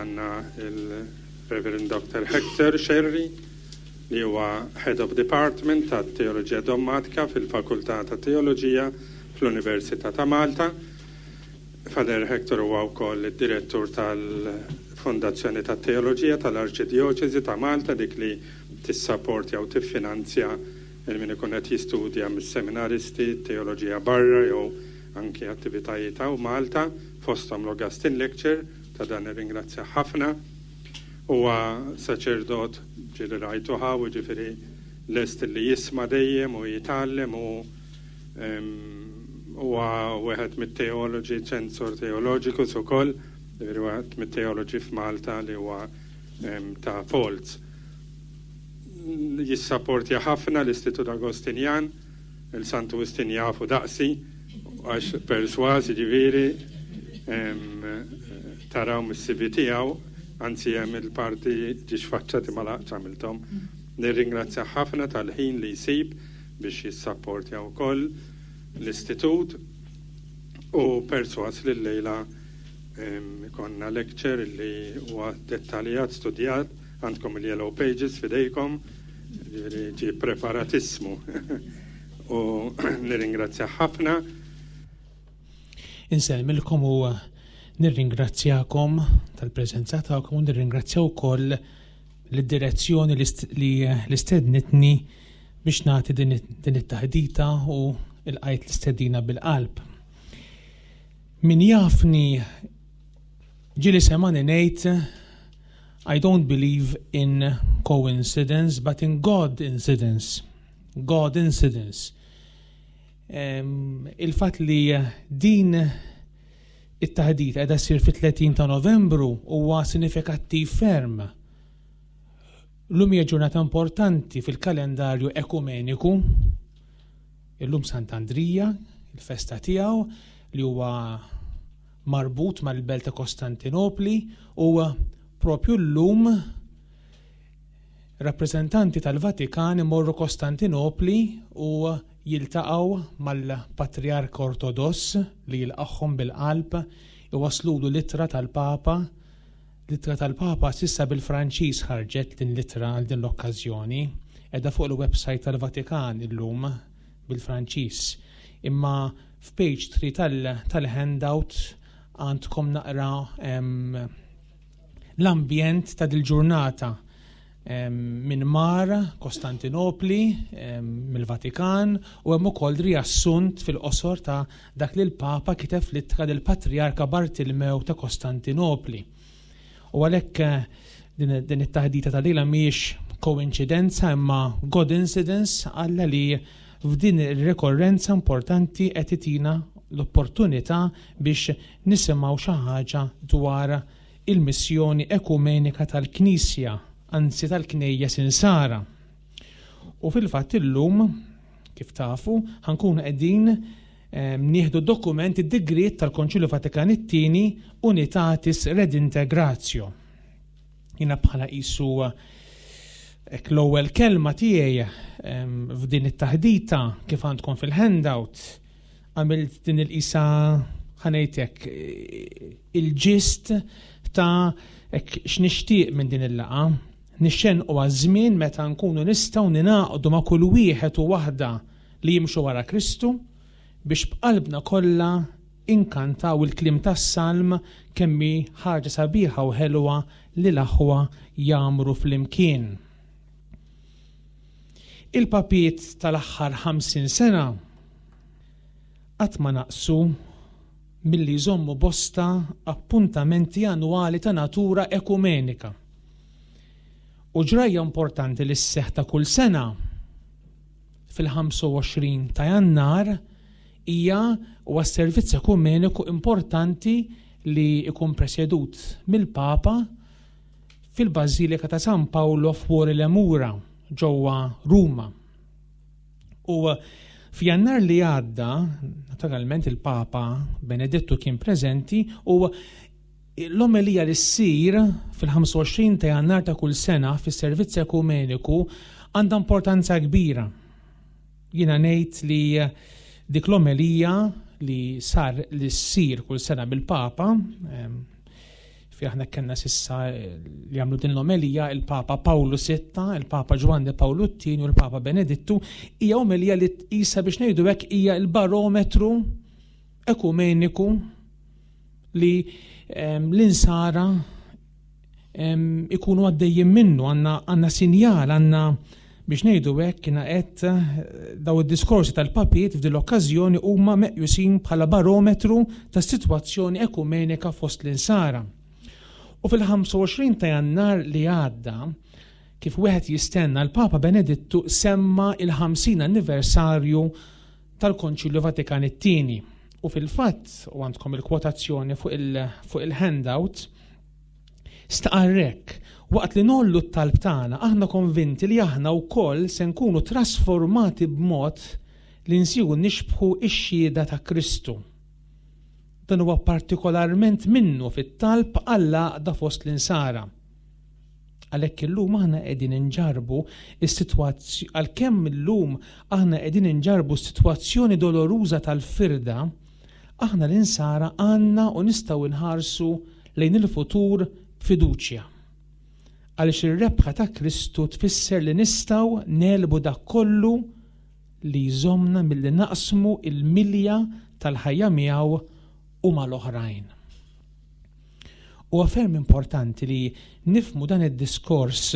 Għandna il-Reverend Dr. Hector Scerri li huwa Head of Department tat Teoloġija Dommatika fil-Fakultà ta' Teoloġija fl-Università ta' Malta. Father Hector huwa wkoll id-direttur tal-Fondazzjoni tat-Teoloġija tal-Arċidjoċesi ta' Malta, dik li tissapportja u tiffinanzja il min ikun qed jistudja mis-seminaristi, teoloġija barra jew anki attivitajiet hawn Malta, fosthom l-Augustine Lecture, ta' dan nirringrazzjah ħafna. Huwa saċerdot ġieli rajtu hawn, jiġifieri lest li jisma' dejjem u jitgħallem u huwa wieħed mit-teoloġi, ċensor teoloġikus ukoll, jiġifieri wieħed mit-teoloġi f'Malta li huwa ta' Folz. Jissapportja ħafna l-Istitut Agostinjan, il-Santu Wistin jafu daqsi, għax persważ jiġifieri taraw mis-CV tiegħu, anzi hemm il-parti ġiex faċċati ma laqtx għamilthom. Nirringrazzjah ħafna tal-ħin li jsib biex jissapportja wkoll l-istitut u persważ li llejla ikollna lecture li huwa dettaljat, studjat, għandkom il-yellow pages f'idejkom, jiġifieri ġie preparatissmu. U nirringrazzjah ħafna. Insellmilkom u nirringrazzjakom tal-preżenza tagħkom u nirringrazzja wkoll lid-direzzjoni li l-istednitni biex nagħti din it-taħdita u l-qajt l-istedina bil-qalb. Min jafni ġieli semani ngħid I don't believe in coincidence but in God incidence. God incidence. Il-fatt li din it-taħdita qiegħda ssir fit-30 ta' Novembru huwa sinifikattiv ferm. Llum hija ġurnata importanti fil-kalendarju ekumeniku. Illum Sant'Andrija, il-festa tiegħu li huwa marbut mal-belt ta' Kostantinopli u propju llum rappreżentanti tal-Vatikan imorru Kostantinopli u jiltaqgħu mal-Patriarka Ortodoss li jilqagħhom bil-qalb, iwasslulu l-ittra tal-Papa. L-ittra tal-Papa s'issa bil-Franċiż ħarġet din l-ittra għal din l-okkażjoni. Qiegħda fuq il-website tal-Vatikan illum bil-Franċiż. Imma f'page 3 tal-handout għandkom naqra l-ambjent ta' dil-ġurnata minn mar Kostantinopli, mill-Vatikan, u hemm ukoll riassunt fil-qosor ta' dak li l-Papa kiteb fl-ittra lill-Patrijarka Bartilmew ta' Kostantinopli. U għalhekk eh, din it-taħdita ta' lejla mhijiex koinċidenza imma God incidence Alla li f'din ir-rikorrenza importanti qed itina l-opportunità biex nisimgħu xi ħaġa dwar il-missjoni ekumenika tal-Knisja, anzi tal-Knejjes Insara. U fil-fatt illum, kif tafu, ħankunu qegħdin ehm, nieħdu dokument id-digriet tal-Konċilju Vatikan it-tieni Unitatis Redintegratio. Jiena bħala qisu hekk l-ewwel kelma tiegħi ehm, f'din it-taħdita kif għandkom fil-handout għamilt din il-qisa ħanejtek il-ġist ta' hekk x'nixtieq minn din il-laqgħa. Nixxenqu għaż-żmien meta nkunu nistgħu ningħaqdu ma' kull wieħed u waħda li jimxu wara Kristu biex b'qalbna kollha inkantaw il-kliem tas-Salm kemm hi ħaġa sabiħa u ħelwa li l-aħwa jgħammru flimkien. Il-papiet tal-aħħar 50 sena qatt ma naqsu milli jżommu bosta appuntamenti annwali ta' natura ekumenika. U ġrajja importanti li sseħħ ta' kull sena fil-25 ta' Jannar hija huwa servizz ekumeniku importanti li jkun presjedut mill-Papa fil-Bażilika ta' San Paolo fuori le Mura ġewwa Ruma. U f'Jannar li għadda, naturalment il-Papa Benedettu kien preżenti u l-omelija li ssir fil-25 ta' Jannar ta' kull sena fis-servizz ekumeniku għandha importanza kbira. Jiena ngħid li dik l-omelija li sar li ssir kull sena bil-Papa ehm, Fi aħna kellna sissa li għamlu din l-omelija il-Papa Pawlu VI, il-Papa Ġwanni Pawlu II u l-Papa Benedittu, hija omelija li tqisha biex ngħidu hekk hija l-barometru ekumeniku li l-insara ikunu għaddejjin minnu, għandna sinjal, għandna biex ngħidu hekk kiena qed eh, daw id-diskorsi tal-papiet f'din l-okkażjoni huma meqjusin bħala barometru tas-sitwazzjoni ekumenika fost l-insara. U fil-25 ta' Jannar li għadda, kif wieħed jistenna l-Papa Benedittu semma il-50 anniversarju tal-Konċilju Vatikan it-Tieni. U fil-fatt, u għandkom il-kwotazzjoni fuq il-handout, Stqarr hekk, Waqt li ngħollu t-talb tagħna, aħna konvinti li aħna wkoll se nkunu trasformati b'mod li nsiru nixbħu x-xhieda ta' Kristu. Dan huwa partikolarment minnu fit-talb għall-għaqda fost l-Insara. Għalhekk illum aħna qegħdin inġarrbu s-sitwazz għalkemm illum aħna qegħdin inġarrbu s-sitwazzjoni doloruża tal-firda, aħna l-Insara għandna u nistgħu nħarsu lejn il-futur b'fiduċja. Għaliex ir-rebħa ta' Kristu tfisser li nistgħu negħlbu dak kollu li jżommna milli naqsmu l-milja tal-ħajja miegħu u mal-oħrajn. Huwa ferm importanti li nifhmu dan id-diskors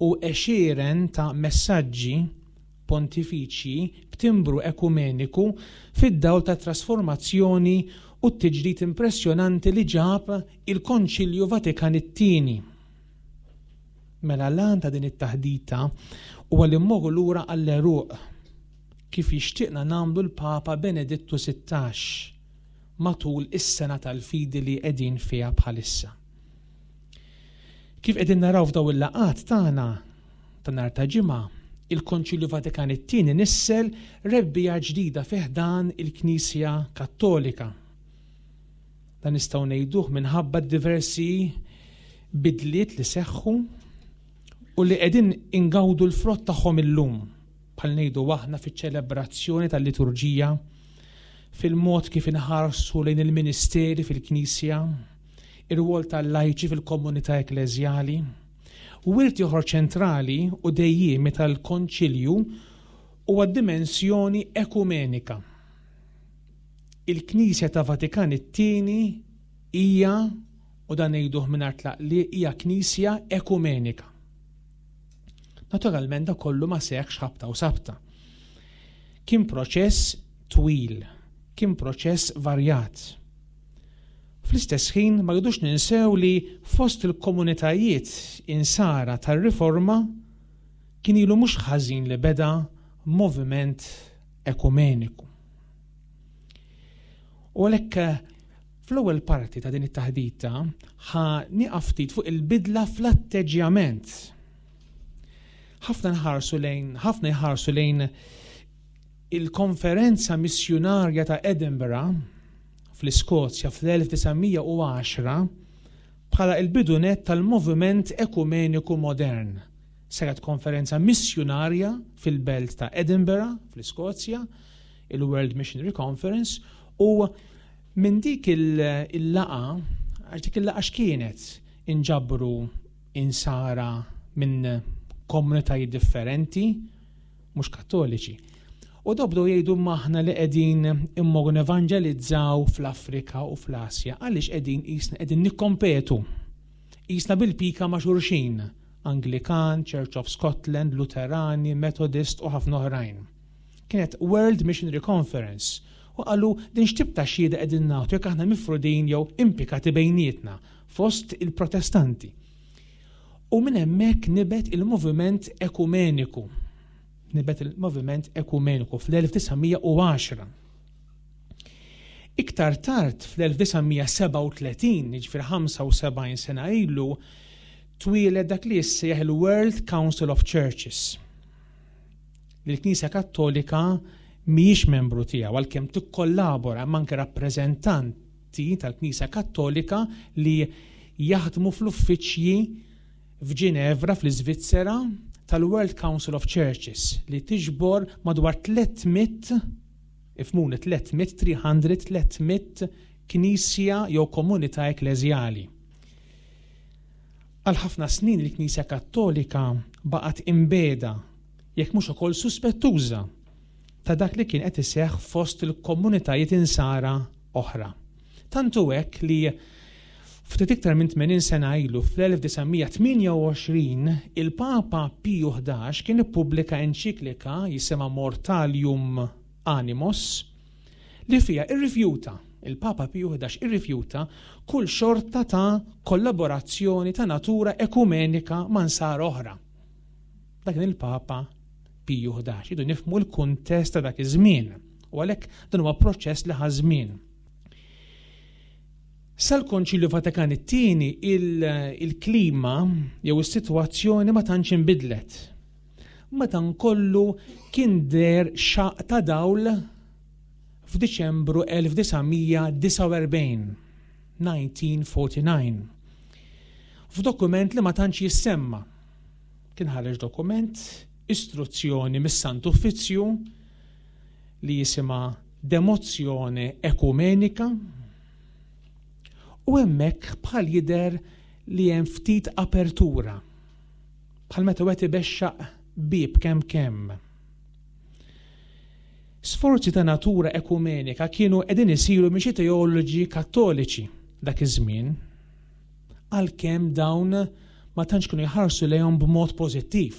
u għexieren ta' messaġġi pontifiċji b'timbru ekumeniku fid-dawl tat-trasformazzjoni u t-tiġdid impressjonanti li ġab il-Konċilju Vatikan it-Tieni. Mela l-għan ta' din it-taħdita huwa li mmorru lura għall-għeruq, kif jixtieqna nagħmlu l-Papa Benedittu 16 matul is-Sena tal-Fidi li qegħdin fiha bħalissa. Kif qegħdin naraw f'daw il-laqgħat tagħna ta' nhar ta' Ġimgħa, il-Konċilju Vatikan it-Tieni nissel rebbiegħa ġdida fi ħdan il-Knisja Kattolika. Dan nistgħu ngħiduh minħabba d-diversi bidliet li seħħu u li qegħdin ingawdu l-frott tagħhom illum, bħal ngħidu aħna fiċ-ċelebrazzjoni tal-liturġija, fil-mod kif inħarsu lejn il-ministeri fil-Knisja, ir-rwol tal-lajċi fil-komunità ekkleżjali. Wirt ieħor ċentrali u dejjiemi tal-Konċilju huwa d-dimensjoni ekumenika. Il-Knisja ta' Vatikan it-Tieni hija, u dan ngħiduh mingħajr tlaqliq, hija Knisja ekumenika. Naturalment da kollu ma seħħx ħabta u sabta. Kien proċess twil, kien proċess varjat. Fl-istess ħin ma rridux ninsew li fost il-komunitajiet Insara tar-Riforma kien ilu mhux ħażin li beda moviment ekumeniku. U għalhekk fl-ewwel parti ta' din it-taħdita ħa nieqaf ftit fuq il-bidla fl-atteġġjament. Ħafna nħarsu lejn, ħafna jħarsu lejn il-konferenza missjunarja ta' Edinburgh fl-Iskozja fl-1910 bħala il-bidu nett tal-moviment ekumeniku modern. Saret konferenza missjunarja fil-belt ta' Edinburgh fl-Iskozja, il-World Missionary Conference, u minn dik il-laqa, għax dik il-laqa x'kienet? Inġabru insara minn komunitajiet differenti, mhux Kattoliċi. U daw bdew jgħidu imma aħna li qegħdin immorru nevanġelizzaw fl-Afrika u fl-Asja, għaliex qegħdin qisna qegħdin nikkompetu. Qisna bil-pika ma' xulxin, Anglikan, Church of Scotland, Luterani, Methodist u ħafna oħrajn. Kienet World Missionary Conference u qalu din x'tip ta' xhieda qegħdin nagħtu jekk aħna mifrudin jew impikati bejnietna fost il-Protestanti. U minn hemmhekk nibet il-moviment ekumeniku. Nibet il-moviment ekumeniku fl-1910. Iktar tard fl-1937, jiġifieri 75 sena ilu, twieled dak li jissejjaħ il-World Council of Churches. Li l-Knisja Kattolika mhijiex membru tiegħu għalkemm tikkollabora imma anke rappreżentant Atti tal-Knisja Kattolika li jaħdmu fl-uffiċċji f'Ġinevra fl-Iżvizzera tal-World Council of Churches li tiġbor madwar 300, ifhmuni 300, 300, 300 knisja jew komunità ekkleżjali. Għal ħafna snin il-Knisja Kattolika baqgħet imbiegħda, jekk mhux ukoll suspettuża, ta' dak li kien qed iseħħ fost il-komunitajiet insara oħra. Tant hu hekk li ftit iktar minn 80 sena ilu fl-1928 il-Papa Piju 11 kien ippubblika enċiklika jisimha Mortalium Animos li fiha irrifjuta, il-Papa Piju 11 irrifjuta kull xorta ta' kollaborazzjoni ta' natura ekumenika ma' nsara oħra. Dak kien il-Papa Piju 11. Idu nifhmu l-kuntest ta' dak iż-żmien. U għalhekk dan huwa proċess li ħa żmien. Sal-Konċilju Vatikan it-tieni il-klima jew is-sitwazzjoni ma tantx inbidlet. Madankollu kien deher xaqq ta' dawl f'Diċembru 1949, 1949. F'dokument li ma tantx jissemma. Kien ħareġ dokument, istruzzjoni mis-Sant Uffizzju li jisimha Demozione Ecumenica u hemmhekk bħal jidher li hemm ftit apertura bħal meta wieħed ibexxaq bieb kemm kemm. Sforzi ta' natura ekumenika kienu qegħdin isiru minn xi teoloġi Kattoliċi dak iż-żmien, għalkemm dawn ma tantx kienu jħarsu lejhom b'mod pożittiv.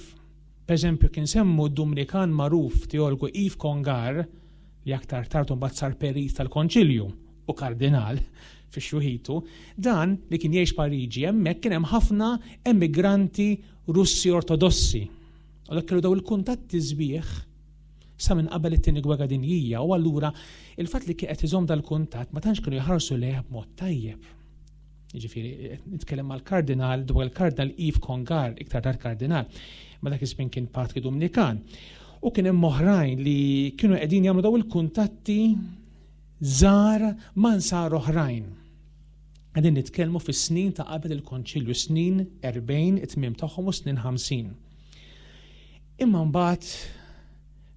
Pereżempju, kien semmu d-Dumnikan magħruf teologu Yves Congar, li aktar tard imbagħad sar perit tal-Konċilju u kardinal fi xjuħitu, dan li kien jgħix Pariġi hemmhekk kien hemm ħafna emigranti Russi Ortodossi. U dak kellu daw il-kuntatti sbieħ sa minn qabel it-Tieni Gwerra Dinjija u allura il-fatt li kien qed iżomm dal-kuntatt ma tantx kienu jħarsu lejh b'mod tajjeb. Jiġifieri nitkellem mal-kardinal dwar il-kardinal Yves Congar, iktar tard kardinal, ma dak iż-żmien kien patri Dumnikan. U kien hemm oħrajn li kienu qegħdin jagħmlu daw il-kuntatti żgħar ma' nsar oħrajn. Qegħdin nitkellmu fis-snin ta' qabel il-Konċilju, snin 40, it-tmiem tagħhom u snin 50. Imma mbagħad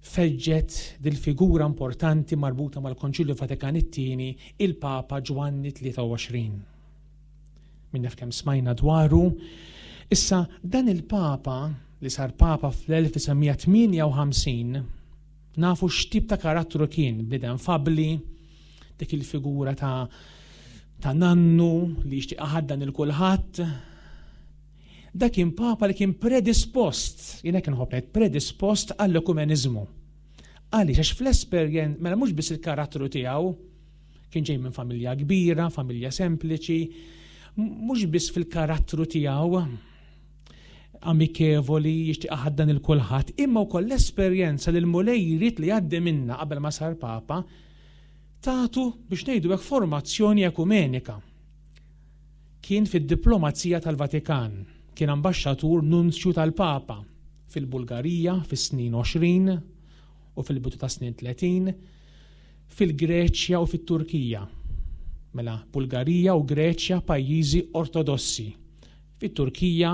feġġet dil-figura importanti marbuta mal-Konċilju Vatikan it-Tieni, il-Papa Ġwanni 23. Min jaf kemm smajna dwaru. Issa dan il-Papa li sar Papa fl-1958 nafu x'tip ta' karattru kien, bniedem fabli, dik il-figura ta' ta' nannu li jixtieq iħaddan il kulħadd. Dak kien Papa li kien predispost, jien hekk inħobb ngħid, predispost għall-ekumeniżmu. Għaliex għax fl-esperjen, mela mhux biss il-karattru tiegħu, kien ġej minn familja kbira, familja sempliċi, mhux biss fil-karattru tiegħu amikevoli, jixtieq ħaddan il kulħadd, imma wkoll l-esperjenza li l-Mulej jrid li jgħaddi minna qabel ma sar Papa, tagħtu biex ngħidu hekk formazzjoni ekumenika. Kien fid-diplomazija tal-Vatikan, kien ambaxxatur nunzju tal-Papa fil-Bulgarija fis-snin 20 u fil-bidu tas-snin 30, fil-Greċja u fit-Turkija. Mela, Bulgarija u Greċja pajjiżi Ortodossi. Fit-Turkija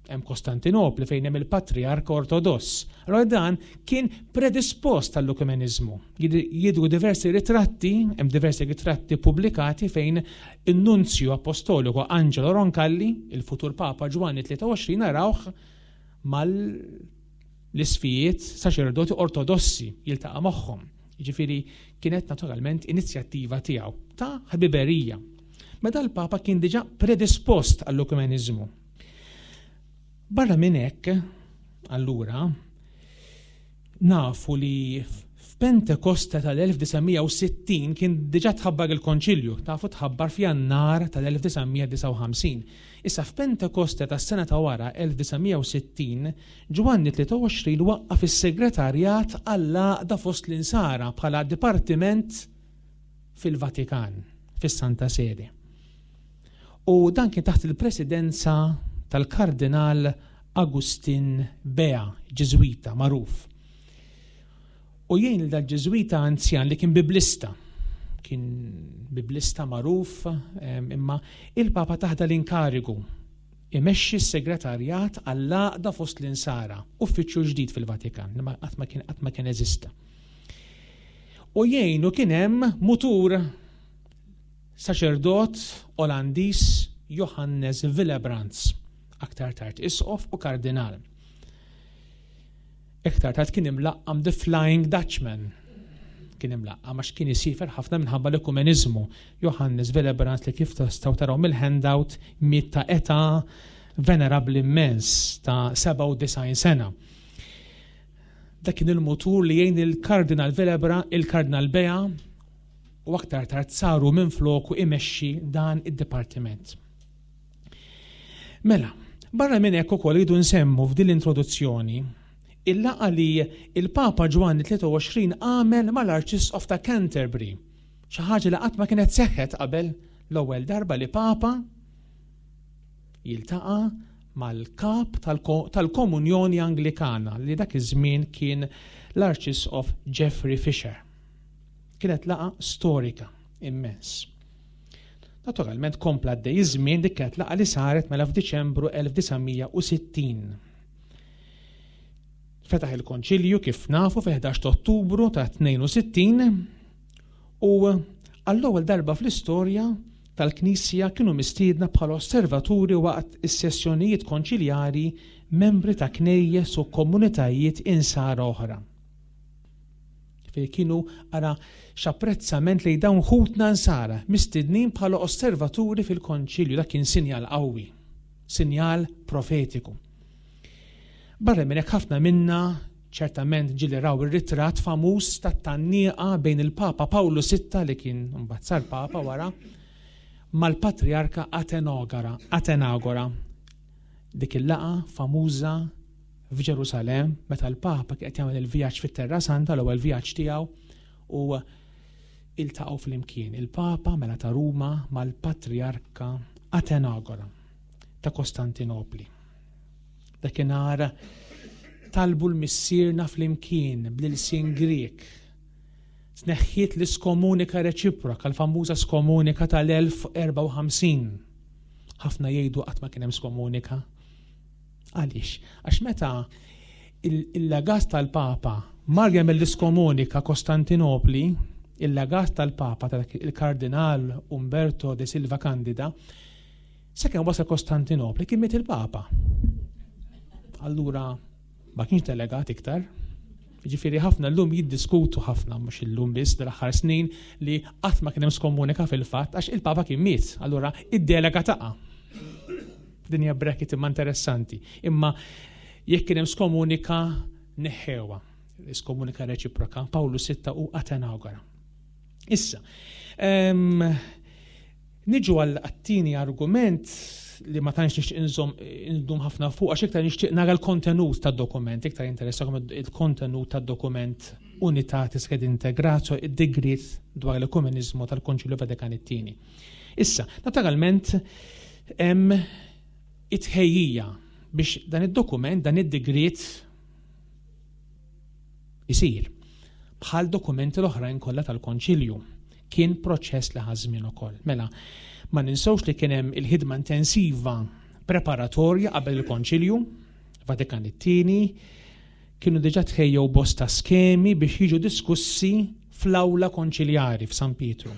hemm Kostantinopli fejn hemm il-Patriarka Ortodoss. Allora dan kien predispost għall-ekumeniżmu. Jidhru diversi ritratti, hemm diversi ritratti pubblikati fejn in-Nunzju Apostoliku Angelo Roncalli, il-futur Papa Ġwanni 23 narawh mal l-isfijiet saċerdoti ortodossi jiltaqa' magħhom. Jiġifieri kienet naturalment inizjattiva tiegħu ta' ħbiberija. Meta l-Papa kien diġà predispost għall-ekumeniżmu. Barra minn hekk, allura, nafu li f'Pentekoste tal-1960 kien diġà tħabbar il-Konċilju, tafu tħabbar f'Jannar tal-1959. Issa f'Pentekoste tas-sena ta' wara 1960, Ġwanni 23 waqqaf is-Segretarjat għall-Għaqda fost l-Insara bħala dipartiment fil-Vatikan, fis-Santa Sede. U dan kien taħt il-presidenza tal-Kardinal Agustin Bea, Ġiżwita magħruf. U jgħin lil dal-Ġiżwita anzjan li kien biblista, kien biblista magħruf, imma il-Papa taħda l-inkarigu imexxi s-segretarjat għall-għaqda fost l-insara, uffiċċju ġdid fil-Vatikan, li qatt ma kien qatt ma kien eżista. U jgħinu kien hemm mutur Saċerdot Olandiż Johannes Willebrands. Aktar tard isqof u kardinal. Iktar tard kien imlaqqam The Flying Dutchman. Kien imlaqqam għax kien isifer ħafna minħabba l-ekumeniżmu. Johannes Villebrand li kif tistgħu taraw mill-handout miet ta' età venerabbli immens ta' 97 sena. Dak kien il-mutur li jgħin il-Kardinal Velebra, il-Kardinal Bea u aktar tard saru minn floku imexxi dan id-dipartiment. Mela, barra minn hekk ukoll rridu nsemmu f'din l-introduzzjoni il-laqgħa li il-Papa Ġwanni 23 għamel mal-Arċisqof ta' Canterbury. Xi ħaġa li qatt ma kienet seħħet qabel l-ewwel darba li Papa jiltaqa' mal-kap tal-Komunjoni Anglikana li dak iż-żmien kien l-Arċisqof Geoffrey Fisher. Kienet laqgħa storika immens. Naturalment kompla għaddej iż-żmien dik kienet laqgħa li saret mela f'Diċembru 1960. Fetaħ il-Konċilju kif nafu fil-11 ta' Ottubru ta' 62 u għall-ewwel darba fl-istorja tal-Knisja kienu mistiedna bħala osservaturi waqt is-sessjonijiet konċiljari membri ta' knejjes u komunitajiet insara oħra. Fejn kienu ara x'apprezzament lejn dawn ħutna nsara, mistednin bħala osservaturi fil-konċilju, dak kien sinjal qawwi, sinjal profetiku. Barra minn hekk ħafna minna ċertament ġieli raw ir-ritratt famuż tat-tgħanniqa bejn il-Papa Pawlu Sitta li kien mbagħad sar Papa wara mal-Patriarka Atenogara, Atenagora. Dik il-laqgħa famuża f'Ġerusalemm meta l-Papa kien qed jagħmel il-vjaġġ fit-Terra Santa, l-ewwel vjaġġ tiegħu, u iltaqgħu flimkien il-Papa mela ta' Ruma mal-Patriarka Atenagora ta' Kostantinopli. Dakinhar talbu l-Missierna flimkien bl-ilsien Grieg. Tneħħiet l-iskomunika reċiproka, l-famuża skomunika tal-1054. Ħafna jgħidu qatt ma kien hemm skomunika. Għaliex? Għax meta il-legat tal-Papa mar jagħmel l-iskomunika Kostantinopli, il-legat tal-Papa il-Kardinal Umberto de Silva Candida, sakemm wasal Kostantinopli kien miet il-Papa. Allura ma kienx delegat iktar. Ġifieri ħafna llum jiddiskutu ħafna mhux illum biss dal-aħħar snin li qatt ma kien hemm skomunika fil-fatt għax il-Papa kien miet. Allura id-delega taqa'. Din hija bracket imma interessanti. Imma jekk kien hemm skomunika neħħewha. Skomunika reċiproka, Pawlu Sitta u Atenagora. Issa, niġu għal għat-tieni argument li ma tantx nixtieq inżomm indum ħafna fuq għax iktar nixtieq nara l-kontenut tad-dokument, iktar jinteressakom il-kontenut tad-dokument Unitatis Redintegratio, id-digriet dwar l-ekumeniżmu tal-Konċilju Vatikan it-Tieni. Issa, naturalment, hemm it-tħejjija biex dan id-dokument, dan id-digriet isir. Bħal dokumenti l-oħrajn kollha tal-Konċilju. Kien proċess li ħa żmien ukoll. Mela, ma ninsewx li kien hemm il-ħidma intensiva preparatorja qabel il-Konċilju, Vatikan it-tieni, kienu diġà tħejjew bosta skemi biex jiġu diskussi fl-awla konċiljari f'San Pietru.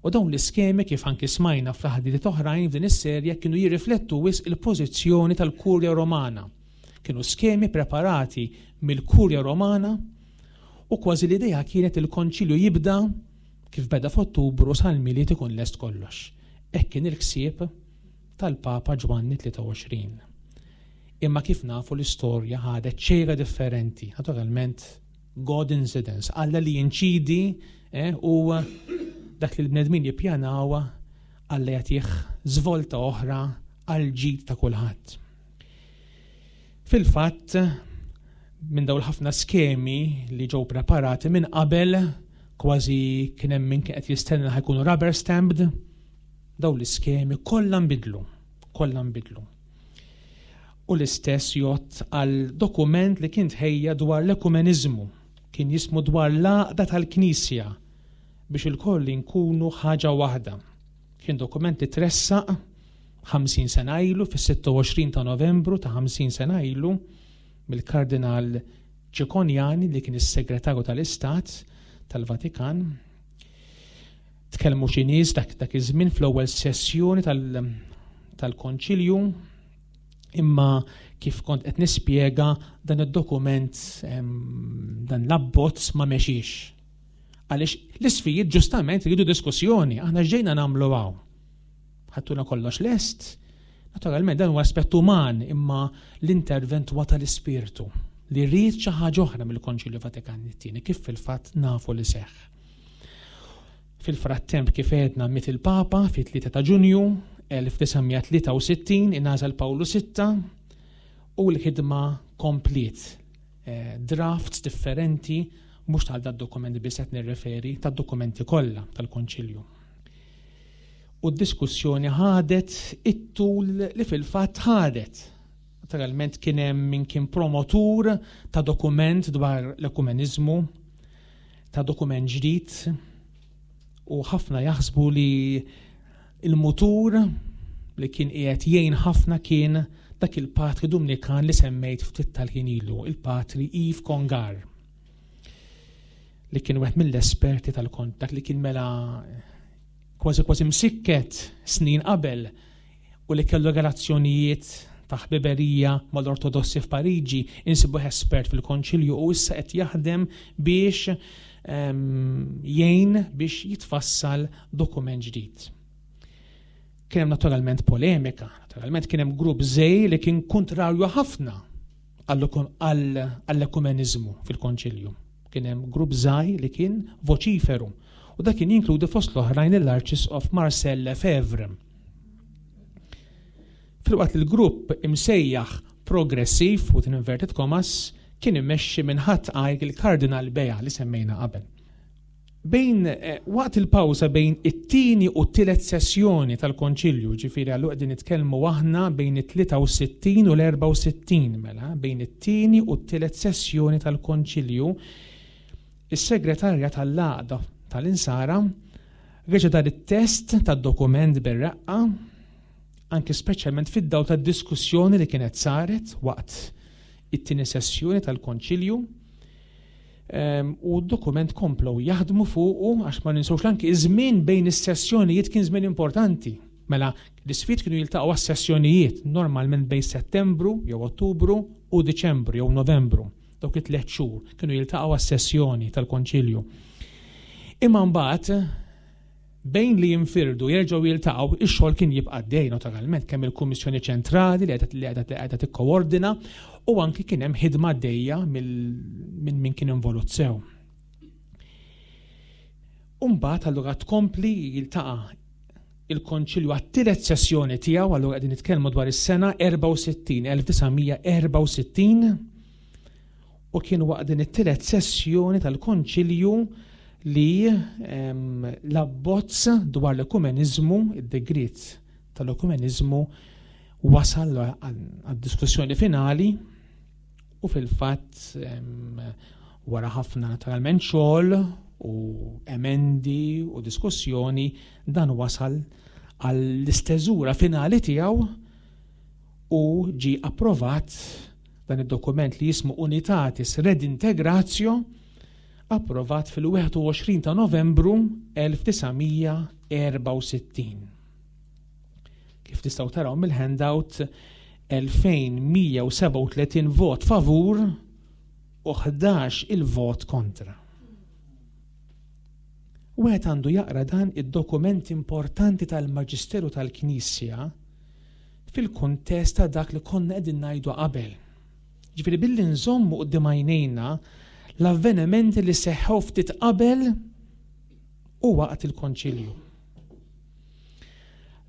U dawn l-iskemi kif anki smajna f'taħdidiet oħrajn f'din is-serje kienu jirriflettu wisq il-pożizzjoni tal-Kurja Romana. Kienu skemi preparati mill-Kurja Romana u kważi l-idea kienet il-konċilju jibda kif beda f'Ottubru sal-Milied ikun lest kollox. Hekk kien il-ħsieb tal-Papa Ġwanni 23. Imma kif nafu l-istorja ħadet xejra differenti, naturalment God incidence, Alla li jinċidi eh, u dak li l-bnedmin jippjanaw Alla jagħtih żvolta oħra għal ġid ta' kulħadd. Fil-fatt, minn dawn ħafna skemi li ġew preparati minn qabel, kważi kien hemm min kien qed jistenna ħajkunu rubber stamped, dawn l-iskemi kollha nbidlu, kollha nbidlu. U l-istess jgħodd għal dokument li kien tħejja dwar l-ekumeniżmu, kien jismu dwar l-għaqda tal-Knisja biex ilkoll inkunu ħaġa waħda. Kien dokument li tressaq 50 sena ilu fis-26 ta' Novembru ta' 50 sena ilu mill-Kardinal Cicognani li kien is-Segretarju tal-Istat tal-Vatikan. Tkellmu xi nies dak dak iż-żmien fl-ewwel sessjoni tal tal-Konċilju, imma kif kont qed nispjega dan id-dokument dan l-abbozz ma mexiex. Għaliex l-isfijiet ġustament iridu diskussjoni, aħna ġejna nagħmlu hawn. Ħattuna kollox lest, naturalment dan huwa aspett uman imma l-intervent huwa tal-ispirtu li rrid xi ħaġa oħra mill-Konċilju Vatikan it-tieni kif fil-fatt nafu li seħħ. Fil-frattemp kif għedna miet il-Papa fit-3 ta' Ġunju 1963 ingħażel Pawlu VI u l-ħidma kompliet. Eh, drafts differenti mhux tal dat dokument biss qed nirreferi tad-dokumenti kollha tal-Konċilju. U d-diskussjoni ħadet it-tul li fil-fatt ħadet. Naturalment kien hemm min kien promotur ta' dokument dwar l-ekumeniżmu, ta' dokument ġdid u ħafna jaħsbu li il-mutur li kien qiegħed jgħin ħafna kien dak il-patri Dumnikan li semmejt ftit tal-ħin ilu, il-patri Yves Congar li kien wieħed mill-esperti tal-kont, dak li kien mela kważi kważi msikket snin qabel u li kellu relazzjonijiet ta' ħbiberija mal-Ortodossi f'Pariġi, insibuh espert fil-Konċilju u issa qed jaħdem biex jgħin biex jitfassal dokument ġdid. Kien hemm naturalment polemika, naturalment kien hemm grupp żej li kien kontrarju ħafna għall-ekumeniżmu fil-Konċilju. Kien hemm grupp żgħir li kien voċiferu u dak kien jinkludi fost l-oħrajn l-Arċisqof Marcel Lefebvre. Filwaqt li l-grupp imsejjaħ progressiv, within inverted commas, kien immexxi minn ħadd għajr il-Kardinal Bea li semmejna qabel. Bejn eh, waqt il-pawża bejn it-tieni u t-tielet sessjoni tal-Konċilju, ġifieri għallu qegħdin nitkellmu aħna bejn it-63 u l-64 mela, bejn it-tieni u t-tielet sessjoni tal-Konċilju, is-segretarja tal-Għaqda tal-Insara reġa' dar it-test tad-dokument bir-reqqa anki speċjalment fid-dawl tad-diskussjoni li kienet saret waqt it-tieni sessjoni tal-Konċilju. Ehm, u d-dokument komplow jaħdmu fuqu għax ma ninsewx anki iż-żmien bejn is-sessjonijiet kien żmien importanti. Mela, l-isfid kienu jiltaqgħu għas-sessjonijiet normalment bejn Settembru jew Ottubru u Diċembru jew Novembru. Dawk it-tliet xhur kienu jiltaqgħu għas-sessjoni tal-Konċilju. Imma mbagħad Bejn li jinfirdu jerġgħu jiltaqgħu, ix-xogħol kien jibqa' għaddej naturalment kemm il-Kummissjoni Ċentrali li qiegħda li qiegħda tikkoordina u anki kien hemm ħidma għaddejja minn min kien involut sew. Umbagħad allura tkompli jiltaqa' il-Konċilju għat-tielet sessjoni tiegħu, allura qegħdin nitkellmu dwar is-sena 64, 1964, U kien waqt din it-tielet sessjoni tal-Konċilju li l-abbozz dwar l-ekumeniżmu, id-degriet tal-ekumeniżmu wasal għad-diskussjoni finali u fil-fatt wara ħafna naturalment xogħol u emendi u diskussjoni dan wasal għall-isteżura finali tiegħu u ġie approvat Dan id-dokument li jismu Unitatis Redintegratio approvat fil-21 ta' Novembru 1964. Kif tistgħu taraw mill-handout 2137 vot favur u 11 il-vot kontra. Wieħed għandu jaqra dan id-dokument importanti tal-Maġisteru tal-Knisja fil-kuntest ta' dak li konna qegħdin ngħidu qabel. Ġifieri billi nżommu quddiem għajnejna l-avvenimenti li seħħew ftit qabel u waqt il-konċilju.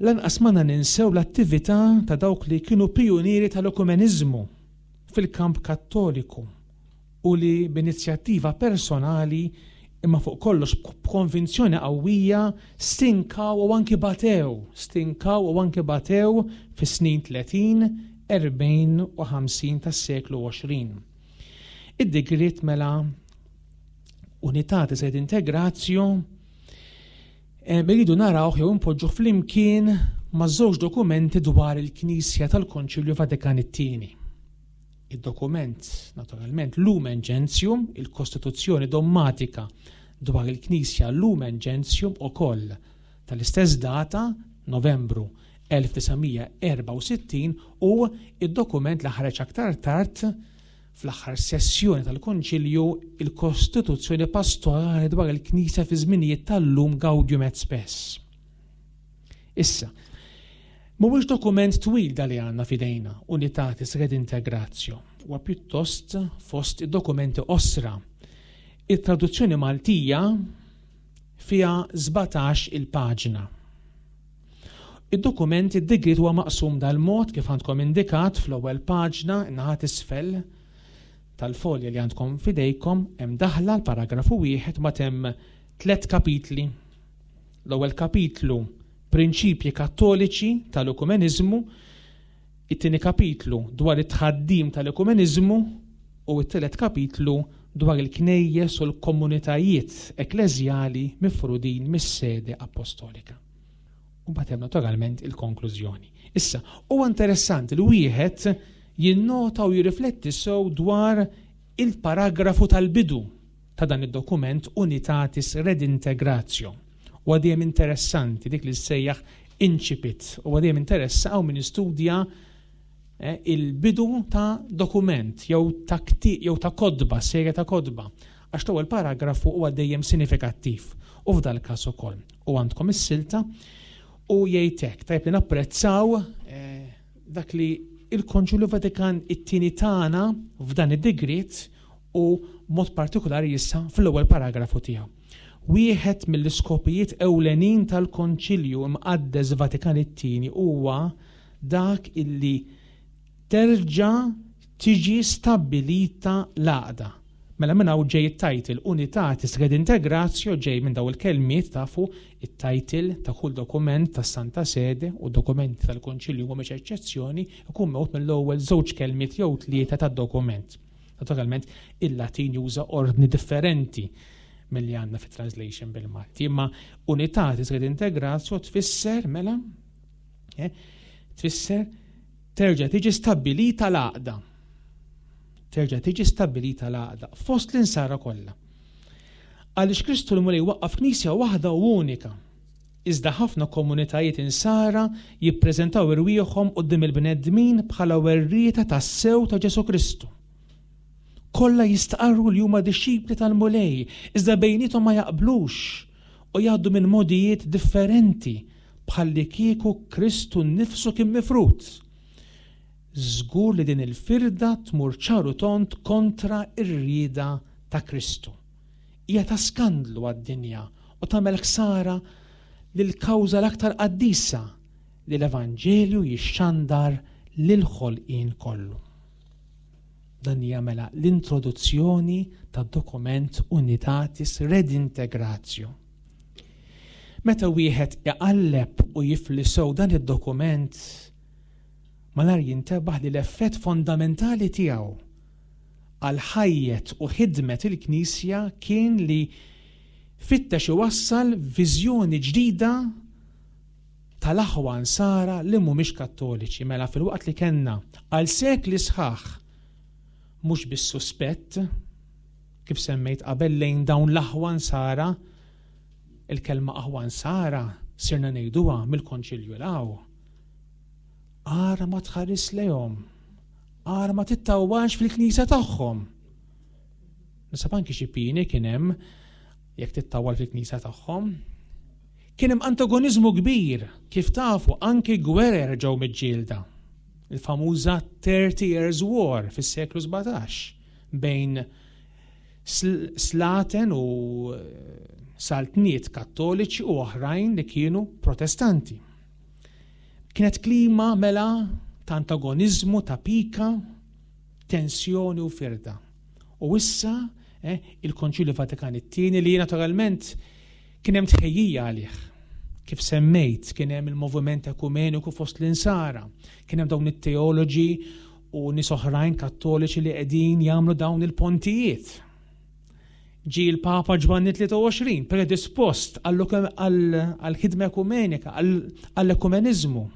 Lanqas ma ninsew l-attività ta' dawk li kienu pijunieri tal-ekumeniżmu fil-kamp kattoliku u li b'inizjattiva personali imma fuq kollox b'konvinzjoni qawwija stinkaw u anki batew, stinkaw u anki batew fis-snin 30, 40 u 50 tas-seklu 20. Id-digriet mela Unitatis et Integratio eh, irridu narawh jew impoġġuh flimkien ma' żewġ dokumenti dwar il-Knisja tal-Konċilju Vatikan it-Tieni. Id-dokument, naturalment, Lumen Gentium, il-Kostituzzjoni Dommatika dwar il-Knisja Lumen Gentium ukoll tal-istess data, Novembru 1964 u id-dokument li ħareġ aktar tard fl-aħħar sessjoni tal-Konċilju, il-Kostituzzjoni Pastorali dwar il-Knisja fi żminijiet tal-lum Gaudium et Spes. Issa, mhuwiex dokument twil da li għandna f'idejna, Unitatis Redintegratio, huwa pjuttost fost id-dokumenti qosra. It-traduzzjoni Maltija fiha 17 il-paġna. Id-dokument id-digriet huwa maqsum dal-mod kif għandkom indikat fl-ewwel paġna in-naħa t'isfel tal-folja li għandkom f'idejkom hemm daħla l-paragrafu wieħed ma hemm tliet kapitli. L-ewwel kapitlu Prinċipji Kattoliċi tal-Ekumeniżmu, it-tieni kapitlu dwar it-tħaddim tal-ekumeniżmu u t-tielet kapitlu dwar il-knejjes u l-komunitajiet ekkleżjali mifrudin mis-sede appostolika. U mbagħad hemm naturalment il-konklużjoni. Issa, huwa interessanti li wieħed jinnota u jirrifletti sew dwar il-paragrafu tal-bidu ta' dan id-dokument Unitatis Redintegratio. Huwa dejjem interessanti dik li ssejjaħ incipit, huwa dejjem interessa hawn min istudja eh, il-bidu ta' dokument jew ta' jew ta' kodba, serje ta' kodba, għax l-ewwel paragrafu huwa dejjem sinifikattiv u f'dal każ ukoll. U għandkom is-silta u jgħid hekk, tajjeb li napprezzaw eh, dak li il-Konċilju Vatikan it-tieni tagħna f'dan id-digriet u mod partikolari issa fl-ewwel paragrafu tiegħu. Wieħed mill-iskopijiet ewlenin tal-Konċilju Imqaddes Vatikan it-tieni huwa dak illi terġa' tiġi stabbilita l-għaqda. Mela minn hawn ġej it-title Unitatis Redintegratio ġej minn dawn il-kelmiet tafu it-title ta' kull dokument tas-Santa Sede u dokumenti tal-Konċilju mhumiex eċċezzjoni ikun meħud mill-ewwel żewġ kelmiet jew tlieta tad-dokument. Naturalment il-Latin juża ordni differenti milli għandna fit-translation bil-Malti, imma Unitatis Redintegratio tfisser mela eh, tfisser terġa' tiġi stabbilita l-għaqda. Terġa' tiġi stabbilita l-għaqda fost l-insara kollha. Għaliex Kristu l-Mulej waqqaf knisja waħda u unika. Iżda ħafna komunitajiet insara jippreżentaw irwieħhom quddiem il-bnedmin bħala werrieta tassew ta' Ġesù Kristu. Kollha jistqarru li huma dixxipli tal-Mulej, iżda bejniethom ma jaqblux u jgħaddu minn mogħdijiet differenti bħallikieku Kristu nnifsu kien mifrud. Żgur li din il-firda tmur ċar u tond kontra r-rieda ta' Kristu. Hija ta' skandlu għad-dinja u tagħmel ħsara lill-kawża l-aktar qaddisa li l-Evanġelju jixxandar lill-ħolqien kollu. Dan hija mela l-introduzzjoni tad-dokument Unitatis Redintegratio. Meta wieħed iqalleb u jifli sew dan id-dokument, malar jintebaħ li l-effett fondamentali tiegħu għal ħajjet u ħidmet il-Knisja kien li fittex iwassal viżjoni ġdida tal-aħwa Nsara li mhumiex Kattoliċi. Mela filwaqt li kellna għal sekli sħaħ mhux biss suspett, kif semmejt qabel lejn dawn l-aħwa Nsara, il-kelma aħwa Nsara sirna ngħiduha mill-Konċilju 'l hawn. Ara ma tħares lejhom, ara ma tittawwax fil-knisja tagħhom. Nisab anki xi pieni kien hemm jekk tittawwal fil-knisja tagħhom. Kien hemm antagoniżmu kbir, kif tafu anki gwerer ġew miġġielda. Il-famuża 30 Years War fis-seklu 17 bejn slaten u eh, saltniet kattoliċi u oħrajn li kienu protestanti. Kienet klima mela ta' antagoniżmu, ta' pika, tensjoni u firda. U issa eh, il-Konċilju Vatikan it-tieni li naturalment kien hemm tħejjija għalih. Kif semmejt, kien hemm il-moviment ekumeniku fost l-insara, kien hemm dawn it-teoloġi u nies oħrajn kattoliċi li qegħdin jagħmlu dawn il-pontijiet. Ġie l-Papa Ġwanni 23 predispost għall-ħidma ekumenika, għall-ekumeniżmu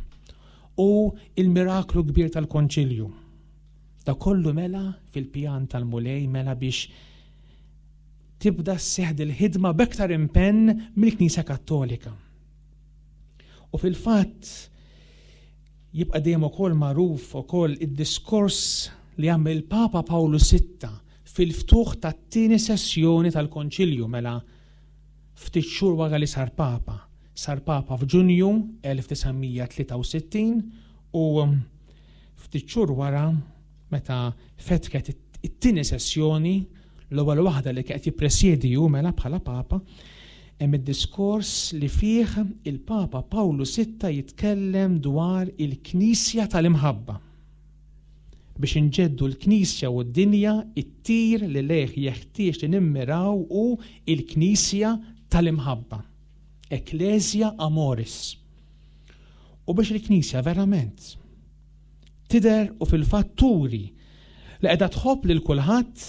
u il-miraklu kbir tal-Konċilju. Da kollu mela fil-pjan tal-Mulej mela biex tibda sseħħ il-ħidma b'aktar impenn mill-Knisja Kattolika. U fil-fatt, Jibqa' dejjem ukoll magħruf ukoll id-diskors li għamel il-Papa Pawlu Sitta fil-ftuħ tat-tieni sessjoni tal-Konċilju mela ftit xhur wara li sar Papa. Sar Papa f'Ġunju 1963 u ftit xhur wara meta fetħet it-tieni sessjoni, l-ewwel waħda li kien qed jippresjedi hu mela bħala Papa, hemm id-diskors li fih il-Papa Pawlu Sitta jitkellem dwar il-Knisja tal-imħabba. Biex inġeddu l-Knisja u d-dinja, it-tir li lejh jeħtieġ li nimmiraw hu l-Knisja tal-imħabba. Ecclesia Amoris. U biex il-Knisja verament tidher u fil-fatt turi li qiegħda tħobb lil kulħadd,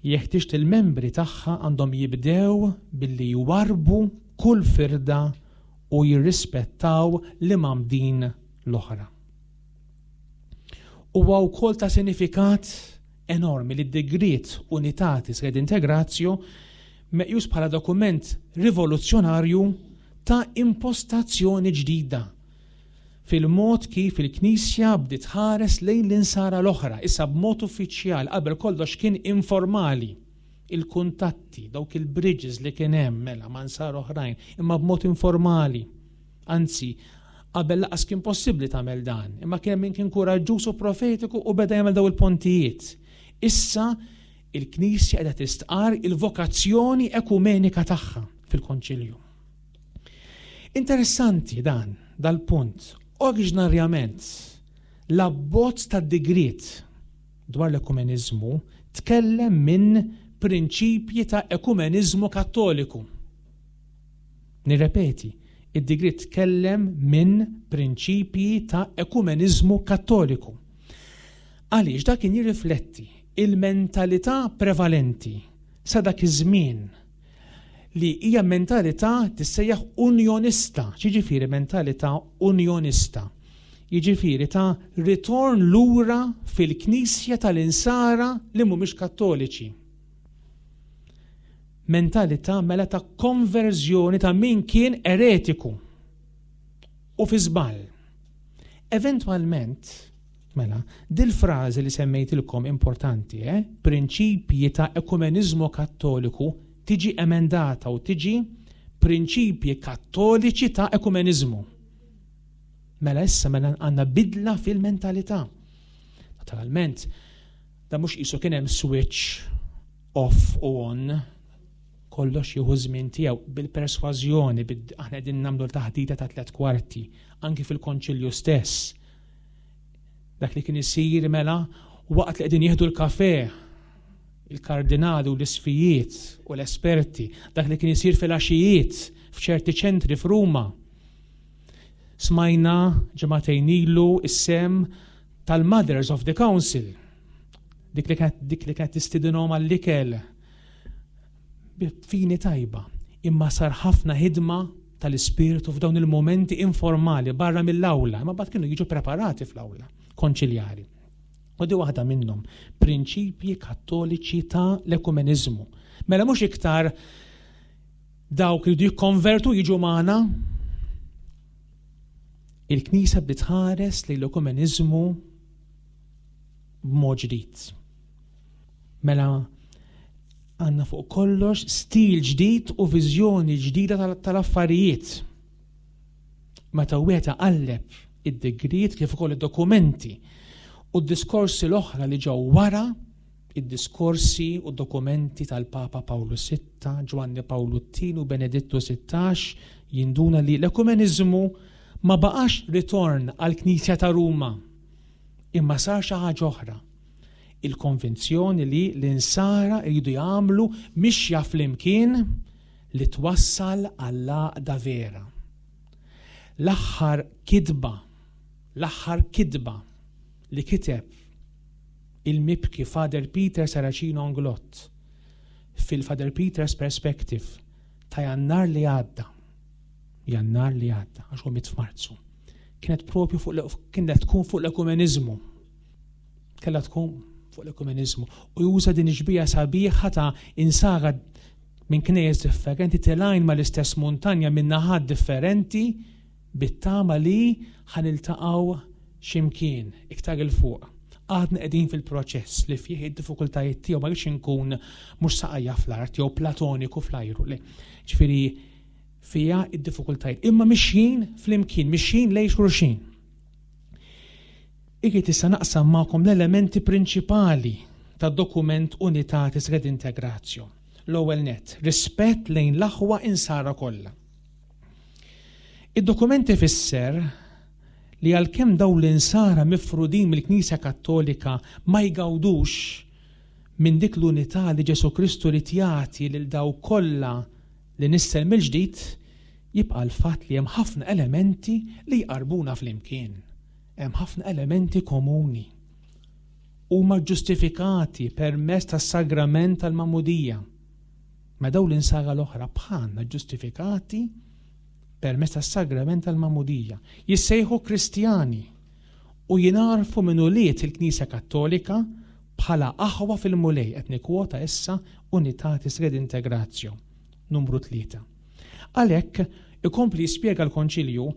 jeħtieġ li l-membri tagħha għandhom jibdew billi jwarrbu kull firda u jirrispettaw l-imgħammdin l-oħra. Huwa wkoll ta' sinifikat enormi li d-digriet Unitatis Redintegratio meqjus bħala dokument rivoluzzjonarju ta' impostazzjoni ġdida fil-mod kif il-Knisja bdiet tħares lejn l-Insara l-oħra, issa b'mod uffiċjal, qabel kollox kien informali. Il-kuntatti, dawk il-bridges li kien hemm mela ma' Nsara oħrajn, imma b'mod informali. Anzi, qabel laqas kien possibbli tagħmel dan, imma kien hemm min kien kuraġġuż u profetiku u beda jagħmel daw il-pontijiet. Issa il-Knisja qiegħda tistqar il-vokazzjoni ekumenika tagħha fil-Konċilju. Interessanti dan, dal-punt. Oriġinarjament, l-abbozz tad-digriet dwar l-ekumeniżmu tkellem minn prinċipji ta' ekumeniżmu kattoliku. Nirrepeti, id-digriet tkellem minn prinċipji ta' ekumeniżmu kattoliku. Għaliex dak kien jirrifletti il-mentalità prevalenti sa dak iż-żmien li hija mentalità tissejjaħ unjonista. X'jiġifieri mentalità unjonista? Jiġifieri ta' ritorn lura fil-Knisja tal-Insara li mhumiex Kattoliċi. Mentalità mela ta' konverżjoni ta' min kien eretiku u fi żball. Eventwalment, Mela, dil-frażi li semmejtilkom importanti, eh? Prinċipji ta' ekumeniżmu kattoliku tiġi emendata u tiġi prinċipji kattoliċi ta' ekumeniżmu. Mela issa mela għandna bidla fil-mentalità. Naturalment, da mhux qisu kien hemm switch off u on, kollox jieħu żmien tiegħu bil-persważjoni, aħna qegħdin nagħmlu l-taħdita ta' tlet kwarti, anki fil-konċilju stess. Dak li kien isir mela waqt li qegħdin jieħdu l-kafe il-kardinali u l-isfijiet u l-esperti, dak li kien isir fil-għaxijiet f'ċerti ċentri f'Ruma. Smajna ġimagħtejn ilu is-sem tal-Mothers of the Council, dik li kienet tistidinhom għall-ikel Bi fini tajba, imma sar ħafna ħidma tal-Ispirtu f'dawn il-mumenti informali barra mill-awla, imma mbagħad kienu jiġu preparati fl-awla konċiljari. U di waħda minnhom, prinċipji kattoliċi ta' l-ekumeniżmu. Mela mhux iktar dawk li jikkonvertu jiġu magħna. Il-Knisja bdiet tħares lejn l-ekumeniżmu b'mod ġdid. Mela għandna fuq kollox stil ġdid u viżjoni ġdida tal-affarijiet. Meta wieħed iqalleb id-digriet kif ukoll id-dokumenti u d-diskorsi l-oħra li ġew wara id-diskorsi u dokumenti tal-Papa Pawlu VI, Ġwanni Pawlu II u Benedittu XVI jinduna li l-ekumeniżmu ma baqax ritorn għall-Knisja ta' Ruma, imma sar xi ħaġa oħra. Il-konvinzjoni li l-Insara jridu jagħmlu mixja flimkien li twassal għall-għaqda vera. L-aħħar kitba, l-aħħar kitba li kiteb il-mibki Father Peter Saracino Englott fil-Father Peter's Perspective ta' Jannar li għadda, Jannar li għadda, għax hu miet f'Marzu, kienet propju fuq kienet tkun fuq l-ekumeniżmu. Kellha tkun fuq l-ekumeniżmu. U juża din ix-xbieha sabiħa ta' insara minn knejjes differenti telgħin mal-istess muntanja minn naħat differenti bit-tama li ħa niltaqgħu xi mkien iktar 'il fuq. Għadna qegħdin fil-proċess li fih id-diffikultajiet tiegħu ma rridx inkun mhux saqajja fl-art jew platoniku fl-ajru. Le. Ġifieri fiha id-diffikultajiet. Imma mixjin flimkien, mixjin lejn xulxin. Irrid issa naqsam magħkom l-elementi prinċipali tad-dokument Unitatis Redintegratio. L-ewwel nett, rispett lejn l-aħwa insara kollha. Id-dokument ifisser li għalkemm dawn l-insara mifrudin mill-Knisja Kattolika ma jgawdux minn dik l-unità li Ġesù Kristu ried jagħti lil dawk kollha li nissel mill-ġdid, jibqa' l-fatt li hemm ħafna elementi li jqarrbuna flimkien. Hemm ħafna elementi komuni. Huma ġġustifikati permezz tas-sagrament tal-magħmudija. Ma dawn l-insara l-oħra bħalna ġġustifikati permezz tas-sagrament tal-magħmudija. Jissejħu Kristjani u jingħarfu minn ulied il-Knisja Kattolika bħala aħwa fil-Mulej, qed nikkwota issa Unitatis Redintegratio, numru 3. Għalhekk, ikompli jispjega l-Konċilju,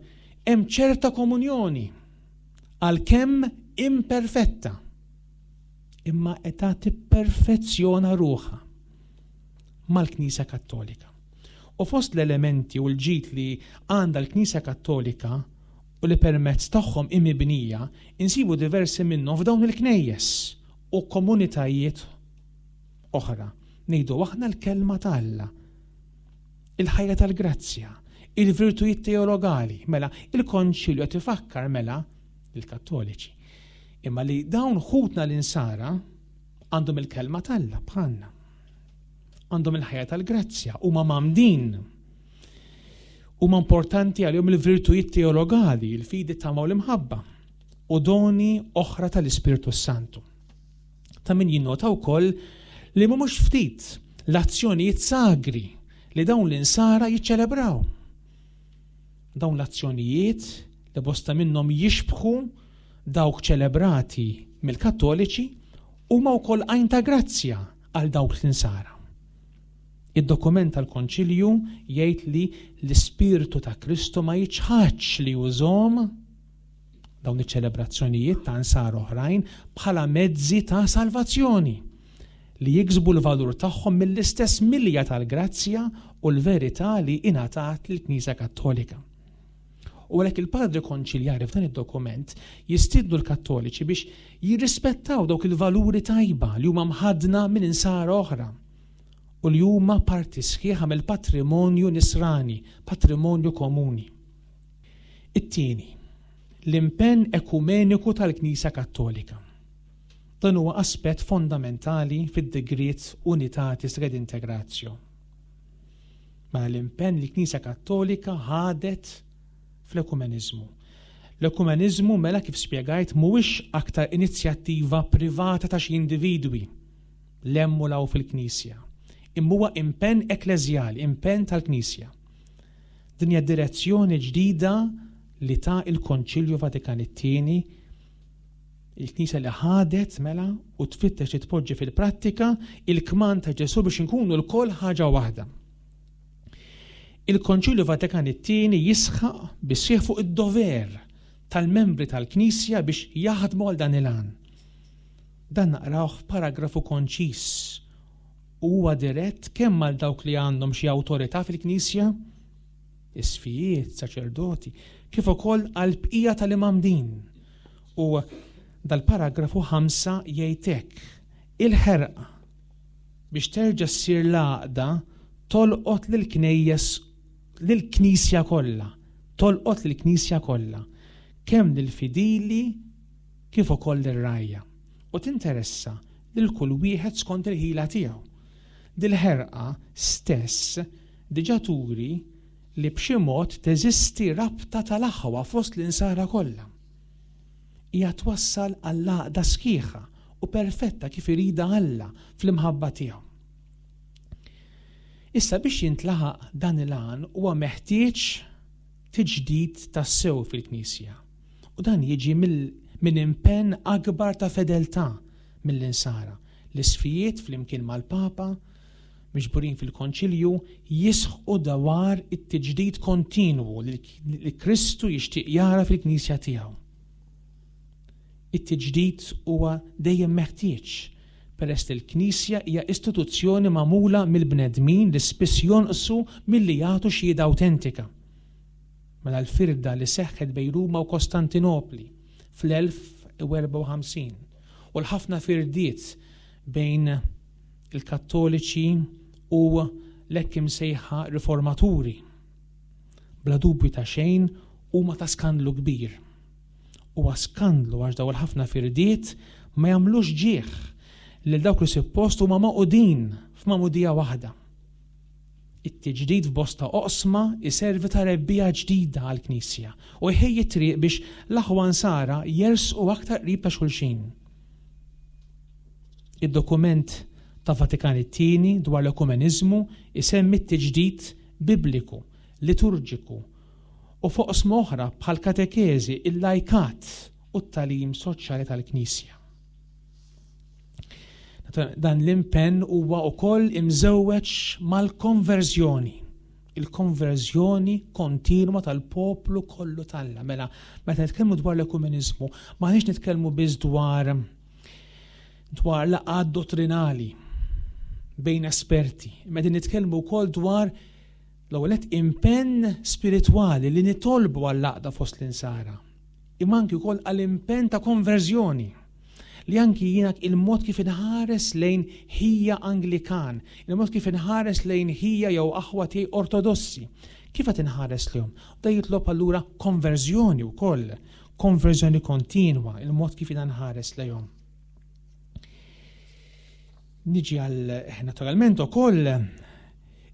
hemm ċerta komunjoni, għalkemm imperfetta, imma qed tipperfezzjona ruħha mal-Knisja Kattolika. U fost l-elementi u l-ġid li għandha l-Knisja Kattolika u li permezz tagħhom hi mibnija, insibu diversi minnhom f'dawn il-knejjes u komunitajiet oħra. Ngħidu aħna l-Kelma ta' Alla, il-ħajja tal-grazzja, il-virtujiet teologali, mela il-Konċilju qed ifakkar mela lill-Kattoliċi. Imma li dawn ħutna l-insara għandhom il-Kelma t'Alla bħalna. Għandhom il-ħajja tal-grazzja, huma mgħammdin. Huma importanti għalihom il-virtujiet teologali, il-fidi, tama u l-imħabba, u doni oħra tal-Ispirtu Santu. Ta' min jinnota wkoll li mhumiex ftit l-azzjonijiet sagri li dawn l-insara jiċċelebraw. Dawn l-azzjonijiet li bosta minnhom jixbħu dawk ċelebrati mill-Kattoliċi huma wkoll għajn ta' grazzja għal dawk l-insara. Id-dokument tal-Konċilju jgħid li l-Ispirtu ta' Kristu ma jiċħadx li jużhom dawn iċ-ċelebrazzjonijiet ta' nsara oħrajn bħala mezzi ta' salvazzjoni li jiksbu l-valur tagħhom mill-istess milja tal-grazzja u l-verità li ingħatat lill-Knisja Kattolika. U għalhekk il-Padri Konċiljari f'dan id-dokument jistiednu l-Kattoliċi biex jirrispettaw dawk il-valuri tajba li huma mħaddna minn insara oħra u li huma parti sħiħa mill-patrimonju nisrani, patrimonju komuni. It-tieni, l-impenn ekumeniku tal-Knisja Kattolika. Dan huwa aspett fondamentali fid-digriet Unitatis Redintegratio. Mela l-impenn li Knisja Kattolika ħadet fl-ekumeniżmu. L-ekumeniżmu mela kif spjegajt mhuwiex aktar inizjattiva privata ta' xi individwi l-hemm u law fil-Knisja, imma huwa impenn ekkleżjali, impenn tal-Knisja. Din hija direzzjoni ġdida li ta il-Konċilju Vatikan it-Tieni Il-Knisja li ħadet mela u tfittex li tpoġġi fil-prattika il-kmand ta' Ġesù biex inkunu lkoll ħaġa waħda. Il-Konċilju Vatikan it-Tieni jisħaq bis-sħiħ fuq id-dover tal-membri tal-Knisja biex jaħdmu għal dan il-għan. Dan naqrawh f'paragrafu konċis u huwa dirett kemm għal dawk li għandhom xi awtorità fil-Knisja, isqfijiet, saċerdoti, kif ukoll għall-bqija tal-imgħammdin. U dal-paragrafu 5 jgħid hekk, il-ħerqa biex terġa' ssir l-għaqda tolqot lill-knejjes lill-Knisja kollha, tolqot lill-Knisja kollha, kemm lill-fidili kif ukoll lir-rgħajja, u tinteressa lil kull wieħed skont il-ħila tiegħu. Dil-ħerqa stess diġà turi li b'xi mod teżisti rabta tal-aħwa fost l-Insara kollha. Hija twassal għall-għaqda sħiħa u perfetta kif iridha Alla fl-imħabba tiegħu. Issa biex jintlaħaq dan il-għan huwa meħtieġ tiġdid tassew fil-Knisja. U dan jiġi minn impenn akbar ta' fedeltà mill-Insara. L-isqfijiet flimkien mal-Papa miġburin fil-Konċilju jisħqu dwar it-tiġdid kontinwu li Kristu jixtieq jara fil-Knisja tiegħu. It-tiġdid huwa dejjem meħtieġ, peress li l-Knisja hija istituzzjoni magħmula mill-bnedmin li spiss jonqsu milli jagħtu xhieda awtentika. Mela l-firda li seħħet bejn Ruma u Kostantinopli fl-1054 u l-ħafna firdiet bejn il-Kattoliċi u l-hekk imsejħa Riformaturi, bla dubju ta' xejn huma ta' skandlu kbir. Huwa skandlu għax dawn il-ħafna firdiet ma jagħmlux ġieħ lil dawk li suppost huma magħqudin f'magħmudija waħda. It-tiġdid f'bosta oqsma jservi ta' rebbiegħa ġdida għall-Knisja u jħejji t-triq biex l-aħwa Nsara jersqu aktar qrib ta' xulxin. Id-dokument ta' Vatikan it-Tieni dwar l-ekumeniżmu jsemmi t-tiġdid bibliku, liturġiku u f'oqsma oħra bħall-katekeżi, il-lajkat u t-tagħlim soċjali tal-Knisja. Dan l-impenn huwa wkoll imżewweġ mal-konverżjoni, il-konverżjoni kontinwa tal-poplu kollu t'Alla. Mela, meta nitkellmu dwar l-ekumeniżmu, m'aħniex nitkellmu biss dwar dwar laqgħat dottrinali bejn esperti, imma qegħdin nitkellmu wkoll dwar l-ewwel nett impenn spiritwali li nitolbu għall-għaqda fost l-insara, imma anki wkoll għal impenn ta' konverżjoni li anki jiena il-mod kif inħares lejn ħija Anglikan, il-mod kif inħares lejn ħija jew aħwa tiegħi Ortodossi, kif qed inħares lejhom? Da jitlob allura konverżjoni wkoll, konverżjoni kontinwa, il-mod kif jiena nħares lejhom. Niġi għal eh, naturalment ukoll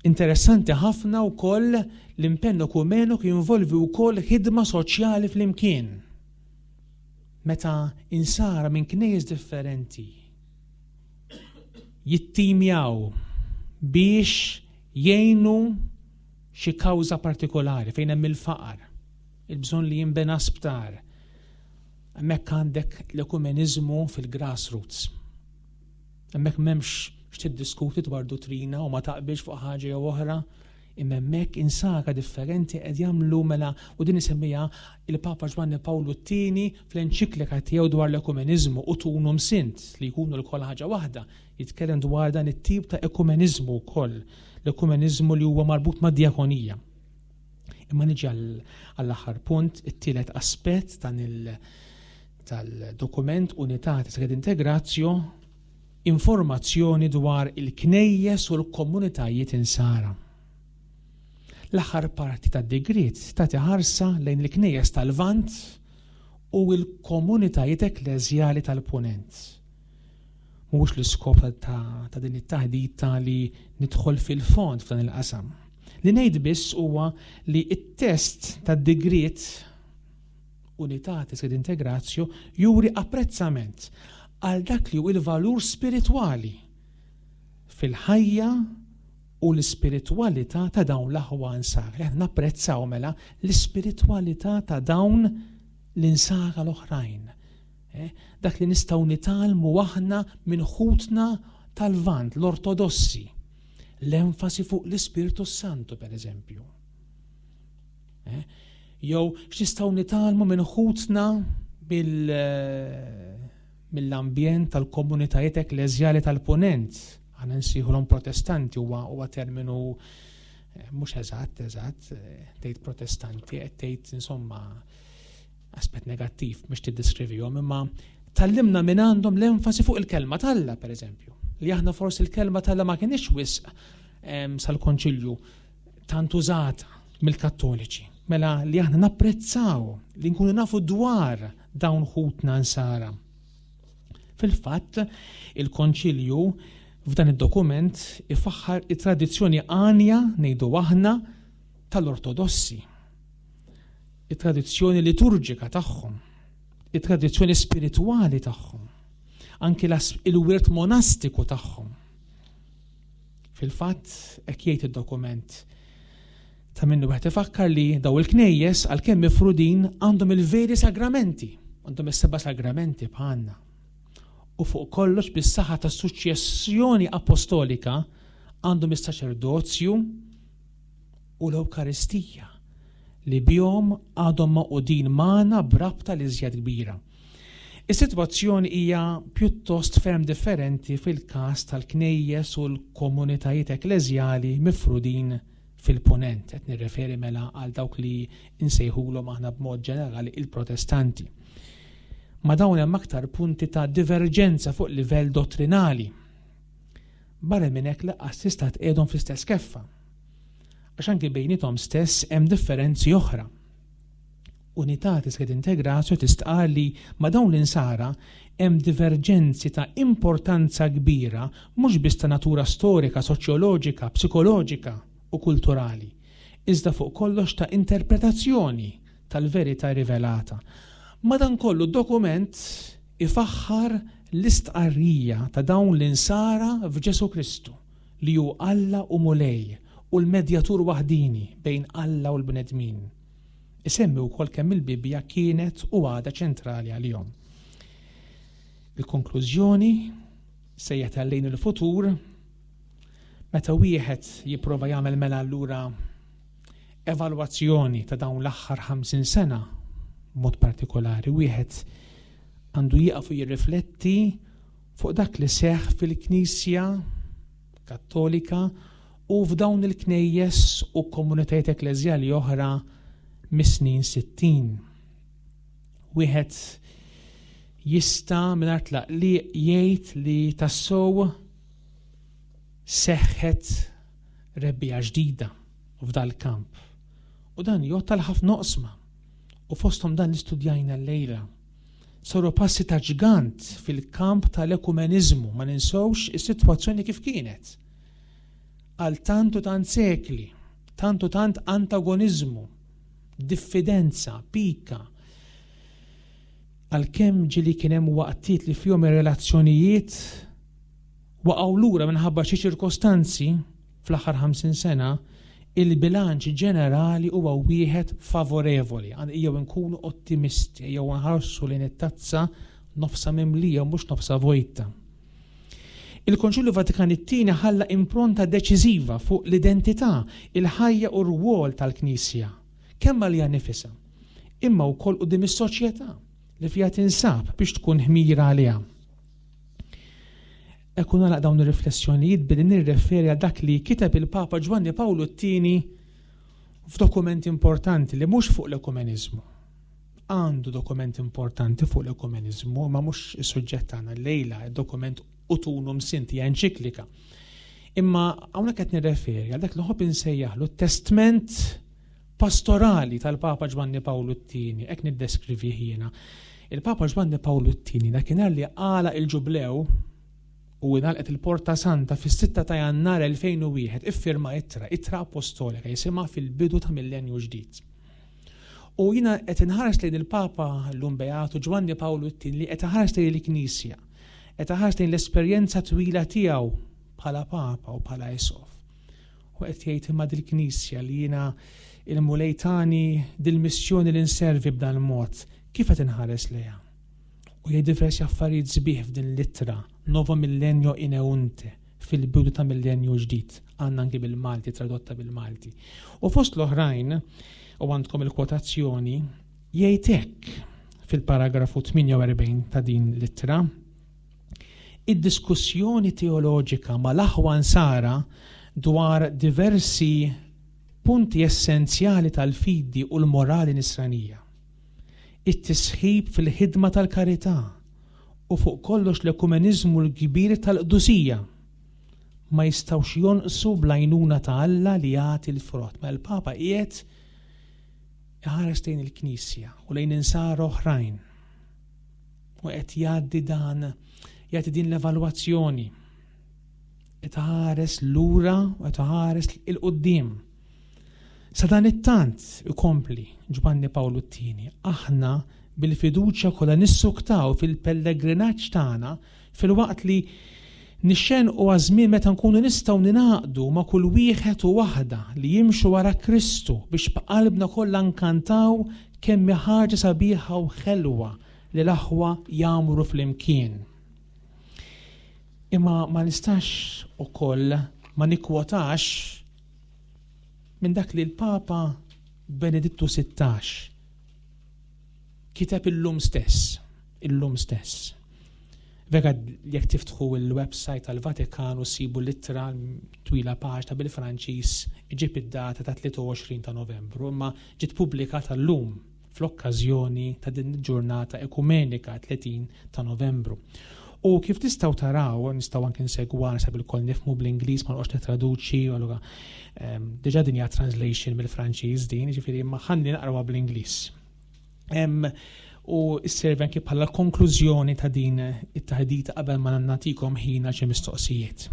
interessanti ħafna wkoll l-impenn ekumenu jinvolvi wkoll ħidma soċjali flimkien. Meta insara minn knejjes differenti jittimjaw biex jgħinu xi kawża partikolari fejn hemm il-faqar, il-bżonn li jinbena sptar. Hemmhekk għandek l-ekumeniżmu fil-grassroots. Hemmhekk m'hemmx x'tiddiskuti dwar duttrina u ma taqbilx fuq ħaġa jew oħra, imma hemmhekk insara differenti qed jagħmlu mela u din isemmija il-Papa Ġwanni Pawlu t-tieni fl-enċiklika tiegħu dwar l-ekumeniżmu u tunum sint li jkunu lkoll ħaġa waħda, jitkellem dwar dan it-tip ta' ekumeniżmu wkoll, l-ekumeniżmu li huwa marbut mad-djakonija. Imma niġi għall-aħħar punt, it-tielet aspett dan il- tal-dokument Unitatis Redintegratio informazzjoni dwar il-knejjes u l-komunitajiet insara. L-aħħar parti tad-digriet tagħti ħarsa lejn il-knejjes tal-Lvant u l-komunitajiet ekkleżjali tal-Punent. Mhuwiex l-iskop ta', ta din it-taħdita li nidħol fil-fond f'dan il-qasam. Li ngħid biss huwa li t-test tad-digriet Unitatis ed Integratio juri apprezzament għal dak li hu l-valur spiritwali fil-ħajja u l-ispiritwalità ta' dawn l-aħwa nsara. Li aħna napprezzaw mela l-ispiritwalità ta' dawn l-insara l-oħrajn. Eh, dak li nistgħu nitgħallmu aħna minn ħutna tal-Lvant, l-Ortodossi. L-enfasi fuq l-Ispirtu Santu, per eżempju. Eh? Jew x'nistgħu nitgħallmu minn ħutna eh, mill-ambjent tal-komunitajiet ekkleżjali tal-punent. Aħna nsejħulhom protestanti huwa huwa terminu eh, mhux eżatt, eżatt, tgħid protestanti, qed tgħid insomma aspett negattiv biex tiddeskrivihom, imma tallimna minn għandhom l-enfasi fuq il-kelma t'Alla, per eżempju. Li aħna forsi l-kelma t'Alla ma kienx wisq sal-konċilju tant użata mill-Kattoliċi. Mela li aħna napprezzaw li nkunu nafu dwar dawn ħutna nsara. Fil-fatt, il-Konċilju f'dan id-dokument ifaħħar it-tradizzjoni għanja ngħidu aħna tal-Ortodossi. It-tradizzjoni liturġika tagħhom, it-tradizzjoni spiritwali tagħhom, anki il-wirt monastiku tagħhom. Fil-fatt, hekk jgħid id-dokument. Ta' minnu wieħed ifakkar li daw il-knejjes għalkemm mifrudin għandhom il-veri sagramenti, għandhom is-seba' sagramenti bħalna. U fuq kollox bis-saħħa tas-suċċessjoni apostolika għandhom is-saċerdozju u l-Ewkaristija li bihom għadhom magħqudin magħna b'rabta li żjed kbira. Is-sitwazzjoni hija pjuttost ferm differenti fil-każ tal-knejjes u l-komunitajiet ekkleżjali mifrudin fil-Punent, qed nirreferi mela għal dawk li nsejħulhom aħna b'mod ġenerali il-Protestanti. Ma' dawn hemm aktar punti ta' diverġenza fuq livell dottrinali. Barra minn hekk lanqas tista' tqiegħdhom fl-istess keffa. Għax anki bejniethom stess hemm differenzi oħra. Unitatis et Integratio tistqarr li ma' dawn l-Insara hemm diverġenzi ta' importanza kbira mhux biss ta' natura storika, soċjoloġika, psikoloġika u kulturali, iżda fuq kollox ta' interpretazzjoni tal-verità rivelata. Madankollu d-dokument ifaħħar l-istqarrija ta' dawn l-Insara f'Ġesù Kristu, li hu Alla u Mulej u l-Medjatur waħdieni bejn Alla u l-bnedmin. Isemmi wkoll kemm il-Bibbja kienet u għadha ċentrali għalihom. Il-konklużjoni sejjaħ lejn il-futur meta wieħed jipprova jagħmel mela allura evalwazzjoni ta' dawn l-aħħar 50 sena b'mod partikolari wieħed għandu jieqaf u jirrifletti fuq dak li seħħ fil-Knisja Kattolika u f'dawn il-knejjes u komunitajiet ekkleżjali oħra mis-snin 60. Wieħed jista' mingħajr tlaqliq jgħid li tassew seħħet rebbiegħa ġdida f'dal-kamp. U dan jgħodd għal ħafna oqsma u fosthom dan li studjajna llejla. Saru passi ta' ġgant fil-kamp tal-ekumeniżmu, ma ninsewx is-sitwazzjoni kif kienet. Għal tant u tant sekli, tant u tant antagoniżmu, diffidenza, pika. Għalkemm ġieli kien hemm waqtiet li fihom ir-relazzjonijiet waqgħu lura minħabba xi ċirkostanzi fl-aħħar 50 sena, il-bilanċ ġenerali huwa wieħed favorevoli. Ejjew inkunu ottimisti, ejjew nħarsu lejn it-tazza nofsa mimlija mhux nofsa vojta. Il-Konċilju Vatikan it-Tieni ħalla impronta deċiżiva fuq l-identità, il-ħajja u r-rwol tal-Knisja, kemm għaliha nifisha, imma wkoll quddiem is-soċjetà li fiha tinsab biex tkun ħmira għaliha. Hekk u nagħlaq dawn ir-riflessjonijiet billi nirreferi għal dak li kiteb il-Papa Ġwanni Pawlu t-Tieni f'dokument importanti li mhux fuq l-ekumeniżmu. Għandu dokument importanti fuq l-ekumeniżmu, ma mhux is-suġġett tagħna llejla, id-dokument Ut Unum Sint hija enċiklika. Imma hawnhekk qed nirreferi għal dak li nħobb insejjaħlu t-testment pastorali tal-Papa Ġwanni Pawlu t-Tieni, hekk niddeskrivih jiena. Il-Papa Ġwanni Pawlu t-Tieni dakinhar li għalaq il-ġublew u ingħalqet il-Porta Santa fis-6 ta' Jannar 2001 iffirma ittra, ittra apostolika jisimha fil-bidu ta' millenju ġdid. U jiena qed inħares lejn il-Papa llum Beatu Ġwanni Pawlu t-Tieni li qed iħares lejn il-Knisja, qed iħares lejn l-esperjenza twila tiegħu bħala Papa u bħala Isqof. U qed jgħid imma dil-Knisja li jiena il-Mulej tani dil-missjoni li nservi b'dan il-mod, kif qed inħares lejha? U jgħid diversi affarijiet sbieħ f'din l-ittra, Novo Millennio Ineunte, fil-bidu ta' millenju ġdid, għandna anki bil-Malti, tradotta bil-Malti. U fost l-oħrajn, u għandkom il-kwotazzjoni, jgħid hekk fil-paragrafu 48 ta' din l-ittra, Id-diskussjoni teoloġika mal-aħwa Nsara dwar diversi punti essenzjali tal-fidi u l-morali Nisranija, it-tisħib fil-ħidma tal-karità u fuq kollox l-ekumeniżmu l-kbir tal-qdusija ma jistgħux jonqsu bl-għajnuna ta' Alla li jagħti l-frott. Mela l-Papa qiegħed iħares lejn il-Knisja u lejn insara oħrajn. U qed jgħaddi dan, jagħti din l-evalwazzjoni. Qed iħares lura u qed iħares 'il quddiem. Sa dan it-tant ikompli Ġwanni Pawlu t-Tieni, aħna bil-fiduċja kollha nissuktaw fil-pellegrinaġġ tagħna filwaqt li nixxenqu għaż-żmien meta nkunu nistgħu ningħaqdu ma' kull wieħed u waħda li jimxu wara Kristu biex b'qalbna kollha nkantaw kemm hi ħaġa sabiħa u ħelwa li l-aħwa jgħammru flimkien. Imma ma nistax ukoll ma nikkwotax minn dak li l-Papa Benedittu 16 kiteb illum stess. Illum stess. Vera jekk tiftħu il-website tal-Vatikan u ssibu l-ittra twila paġna bil-Franċiż iġib id-data ta' 23 ta' Novembru, imma ġiet pubblikata llum fl-okkażjoni ta' din il-ġurnata ekumenika 30 ta' Novembru. U kif tistgħu taraw, nistgħu anke nsegwa nasab ilkoll nifhmu bl-Ingliż ma noqgħodx nittraduċi, allura ehm, diġà din hija translation mill-Franċiż din, jiġifieri imma ħalli naqrawha bl-Ingliż. U sservi anki bħala konklużjoni ta' din it-taħdita qabel ma nagħtikom ħin għal xi mistoqsijiet.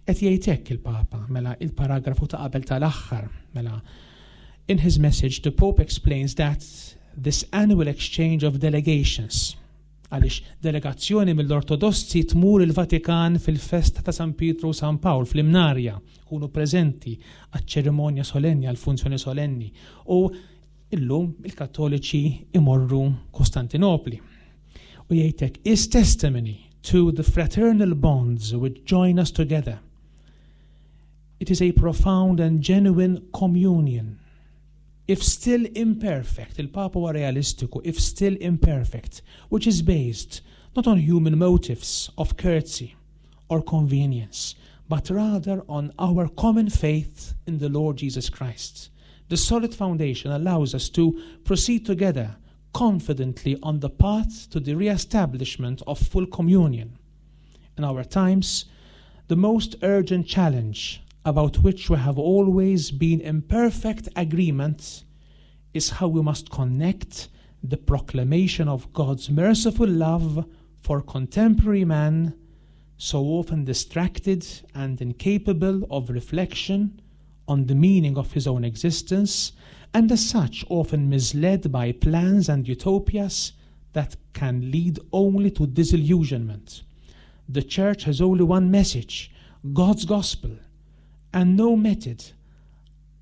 Qed jgħid hekk il-Papa, mela il-paragrafu ta' qabel tal-aħħar, mela In his message the Pope explains that this annual exchange of delegations għaliex delegazzjoni mill-Ortodossi tmur il-Vatikan fil-festa ta' San Pietru u San Pawl fl-Imnarja, kunu preżenti għaċ-ċerimonja solenni, għall-funzjoni solenni. U Illum il-Kattoliċi imorru Kostantinopli. U jgħidlek is testimony to the fraternal bonds which join us together. It is a profound and genuine communion. If still imperfect, il-Papa huwa realistiku, if still imperfect, which is based not on human motives of courtesy or convenience, but rather on our common faith in the Lord Jesus Christ. The solid foundation allows us to proceed together confidently on the path to the re-establishment of full communion. In our times, the most urgent challenge about which we have always been in perfect agreement is how we must connect the proclamation of God's merciful love for contemporary man, so often distracted and incapable of reflection on the meaning of his own existence, and as such often misled by plans and utopias that can lead only to disillusionment. The church has only one message, God's gospel, and no method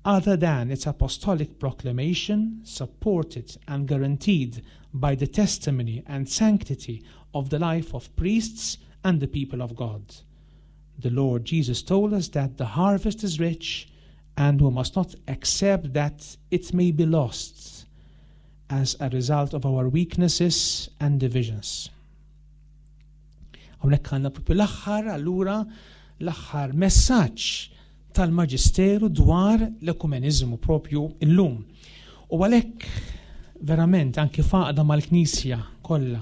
other than its apostolic proclamation, supported and guaranteed by the testimony and sanctity of the life of priests and the people of God. The Lord Jesus told us that the harvest is rich and we must not accept that it may be lost as a result of our weaknesses and divisions. Hawnhekk għandna propju l-aħħar allura l-aħħar messaġġ tal-Maġisteru dwar l-ekumeniżmu propju illum. U għalhekk verament anki faqda mal-Knisja kollha,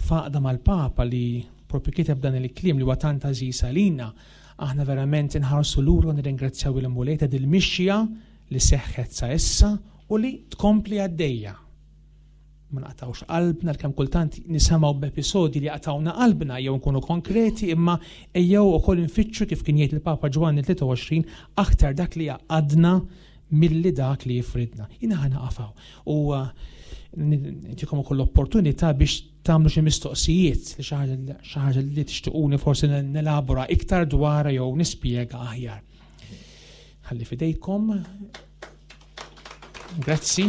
faqda mal-Papa li propju kiteb dan il-kliem li huwa tant għażiż għalina, aħna verament inħarsu lura u nirringrazzjaw il-Mulej ta' dil-mixja li seħħet sa issa u li tkompli għaddejja. Ma naqtawx qalbna kemm kultant nisimgħu b'episodji li jaqtawna qalbna jew nkunu konkreti imma ejjew ukoll infittxu kif kien jgħid il-Papa Ġwanni 23 aktar dak li jgħaqqadna milli dak li jifridna. Jiena ħa naqafaw u uh, ntikom ukoll l-opportunità biex tagħmlu xi mistoqsijiet li xi ħaġa li tixtiquni forsi nelabora iktar dwarha jew nispjega aħjar. Ħalli fidejkom. Grazzi.